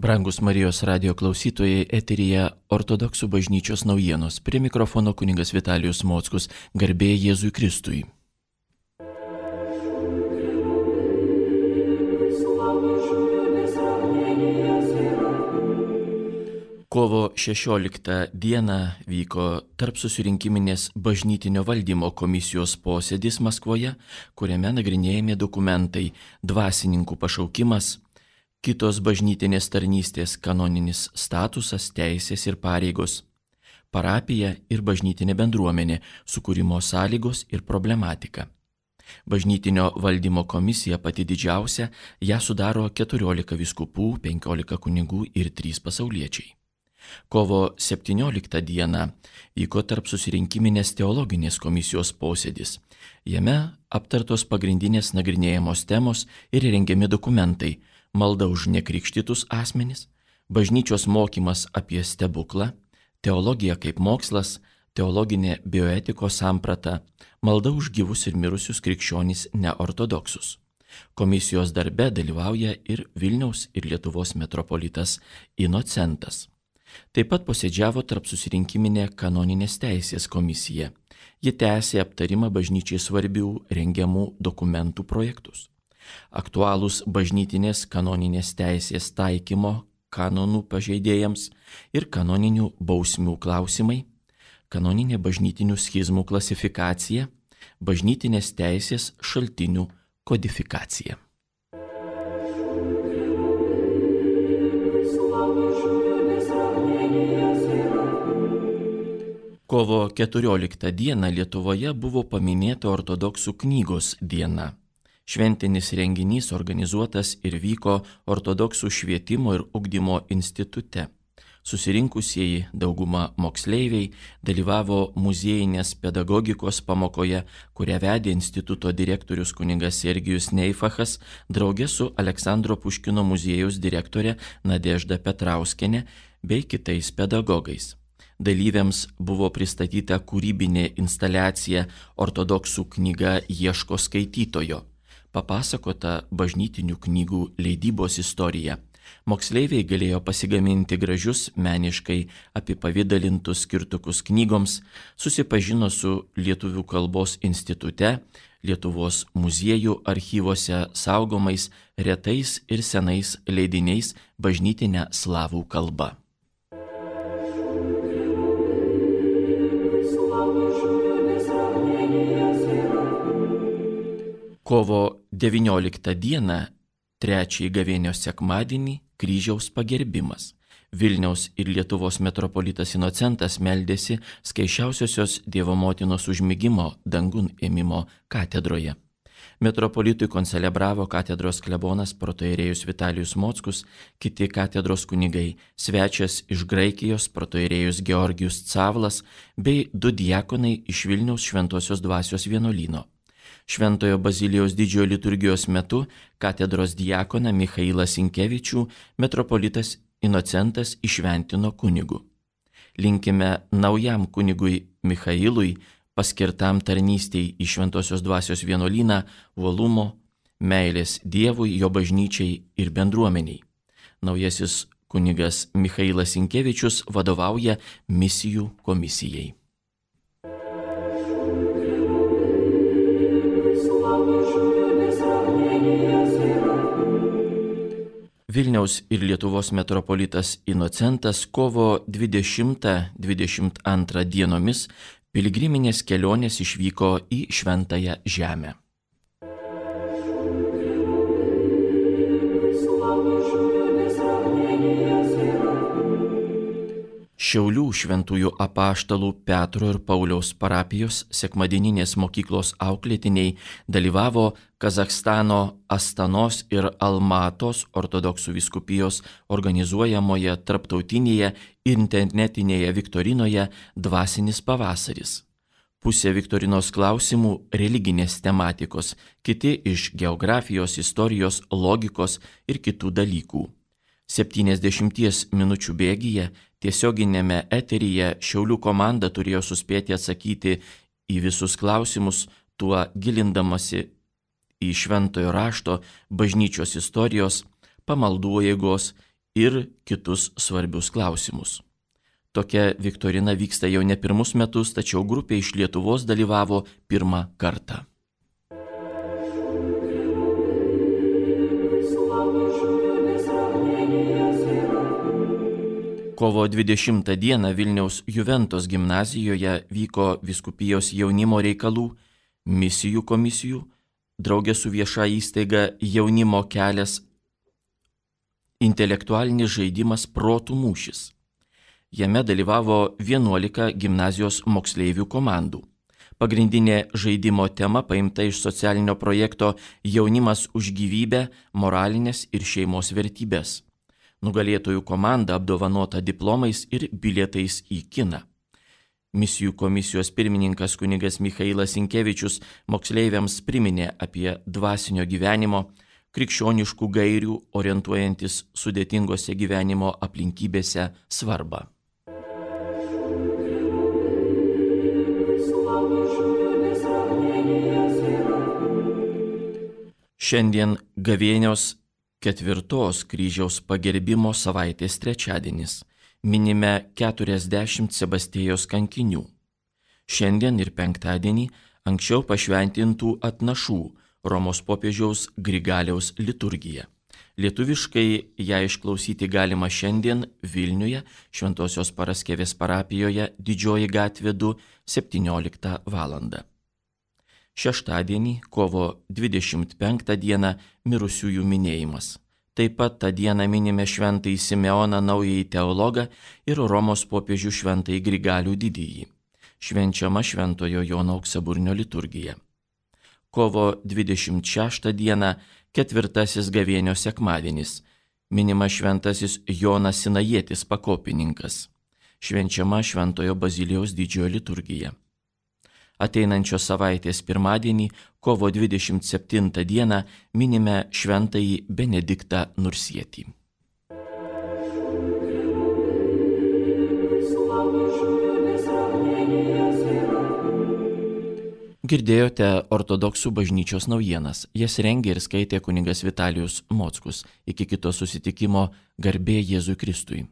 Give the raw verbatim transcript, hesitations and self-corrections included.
Brangus Marijos radijo klausytojai, eteryje Ortodoksų bažnyčios naujienos. Prie mikrofono kunigas Vitalijus Mockus, garbė Jėzui Kristui. Kovo šešioliktą dieną vyko tarpsusirinkiminės bažnytinio valdymo komisijos posėdis Maskvoje, kuriame nagrinėjami dokumentai dvasininkų pašaukimas, kitos bažnytinės tarnystės kanoninis statusas, teisės ir pareigos, parapija ir bažnytinė bendruomenė, sukūrimo sąlygos ir problematika. Bažnytinio valdymo komisija pati didžiausia, ją sudaro keturiolika vyskupų, penkiolika kunigų ir trys pasauliečiai. Kovo septynioliktą dieną vyko tarpsusirinkiminės teologinės komisijos posėdis. Jame aptartos pagrindinės nagrinėjamos temos ir rengiami dokumentai: malda už nekrikštytus asmenis, bažnyčios mokymas apie stebuklą, teologija kaip mokslas, teologinė bioetikos samprata, malda už gyvus ir mirusius krikščionys neortodoksus. Komisijos darbe dalyvauja ir Vilniaus ir Lietuvos metropolitas Inocentas. Taip pat posėdžiavo tarpsusirinkiminė kanoninės teisės komisija. Ji tęsė aptarimą bažnyčiai svarbių rengiamų dokumentų projektus. Aktualūs bažnytinės kanoninės teisės taikymo kanonų pažeidėjams ir kanoninių bausmių klausimai, kanoninė bažnytinių schizmų klasifikacija, bažnytinės teisės šaltinių kodifikacija. Kovo keturioliktą dieną Lietuvoje buvo paminėta ortodoksų knygos diena. Šventinis renginys organizuotas ir vyko Ortodoksų švietimo ir ugdymo institute. Susirinkusieji, dauguma moksleiviai, dalyvavo muziejinės pedagogikos pamokoje, kurią vedė instituto direktorius kunigas Sergijus Neifachas draugė su Aleksandro Puškino muziejaus direktorė Nadežda Petrauskienė bei kitais pedagogais. Dalyviams buvo pristatyta kūrybinė instaliacija Ortodoksų knyga Ieško skaitytojo. Papasakota bažnytinių knygų leidybos istorija. Moksleiviai galėjo pasigaminti gražius meniškai apipavidalintus skirtukus knygoms, susipažino su Lietuvių kalbos institute, Lietuvos muziejų archyvose saugomais retais ir senais leidiniais bažnytinę slavų kalbą. Kovo devynioliktą dieną, trečiąjį gavėnios sekmadienį, kryžiaus pagerbimas. Vilniaus ir Lietuvos metropolitas Inocentas meldėsi Skaisčiausiosios Dievo motinos užmigimo dangun ėmimo katedroje. Metropolitui koncelebravo katedros klebonas protoierėjus Vitalijus Mockus, kiti katedros kunigai, svečias iš Graikijos protoierėjus Georgijus Cavlas bei du diakonai iš Vilniaus Šventosios dvasios vienuolyno. Šventojo Bazilijaus didžiojo liturgijos metu katedros diakoną Michailą Sinkevičių metropolitas Inocentas įšventino kunigu. Linkime naujam kunigui Michailui, paskirtam tarnystei į Šventosios dvasios vienuolyną, uolumo, meilės Dievui, jo bažnyčiai ir bendruomeniai. Naujasis kunigas Michailas Sinkevičius vadovauja misijų komisijai. Vilniaus ir Lietuvos metropolitas Inocentas kovo dvidešimtą dvidešimt antrą dienomis piligriminės kelionės išvyko į Šventąją Žemę. Šiaulių šventųjų apaštalų Petro ir Pauliaus parapijos sekmadieninės mokyklos auklėtiniai dalyvavo Kazachstano Astanos ir Almatos ortodoksų vyskupijos organizuojamoje tarptautinėje internetinėje viktorinoje Dvasinis pavasaris. Pusė viktorinos klausimų religinės tematikos, kiti iš geografijos, istorijos, logikos ir kitų dalykų. septyniasdešimties minučių bėgyje tiesioginėme eteryje Šiaulių komanda turėjo suspėti atsakyti į visus klausimus, tuo gilindamasi į šventojo rašto, bažnyčios istorijos, pamaldų jėgos ir kitus svarbius klausimus. Tokia viktorina vyksta jau ne pirmus metus, tačiau grupė iš Lietuvos dalyvavo pirmą kartą. Kovo dvidešimtą dieną Vilniaus Juventos gimnazijoje vyko vyskupijos jaunimo reikalų, misijų komisijų, draugė su vieša įstaiga Jaunimo kelias intelektualinis žaidimas Protų mūšis. Jame dalyvavo vienuolika gimnazijos moksleivių komandų. Pagrindinė žaidimo tema paimta iš socialinio projekto Jaunimas už gyvybę, moralinės ir šeimos vertybės. Nugalėtojų komanda apdovanota diplomais ir bilietais į kiną. Misijų komisijos pirmininkas kunigas Michailas Sinkevičius moksleiviams priminė apie dvasinio gyvenimo, krikščioniškų gairių orientuojantis sudėtingose gyvenimo aplinkybėse svarbą. Šiandien gavėnios ketvirtos kryžiaus pagerbimo savaitės trečiadienis. Minime keturiasdešimt Sebastijos kankinių. Šiandien ir penktadienį anksčiau pašventintų atnašų Romos popiežiaus Grigaliaus liturgija. Lietuviškai ją išklausyti galima šiandien Vilniuje, Šventosios Paraskevės parapijoje, Didžioji gatvė du, septynioliktą valandą. Šeštadienį, kovo dvidešimt penktą dieną, mirusiųjų minėjimas. Taip pat tą dieną minime šventąjį Simeoną naująjį teologą ir Romos popiežių šventąjį Grigalių didįjį. Švenčiama Šventojo Jono Auksaburnio liturgija. Kovo dvidešimt šeštą dieną, ketvirtasis gavėnio sekmadienis. Minima šventasis Jonas Sinajietis pakopininkas. Švenčiama Šventojo Bazilijaus didžiojo liturgija. Ateinančios savaitės pirmadienį, kovo dvidešimt septintą dieną, minime šventąjį Benediktą Nursietį. Girdėjote ortodoksų bažnyčios naujienas. Jas rengė ir skaitė kunigas Vitalijus Mockus. Iki kito susitikimo, garbė Jėzui Kristui.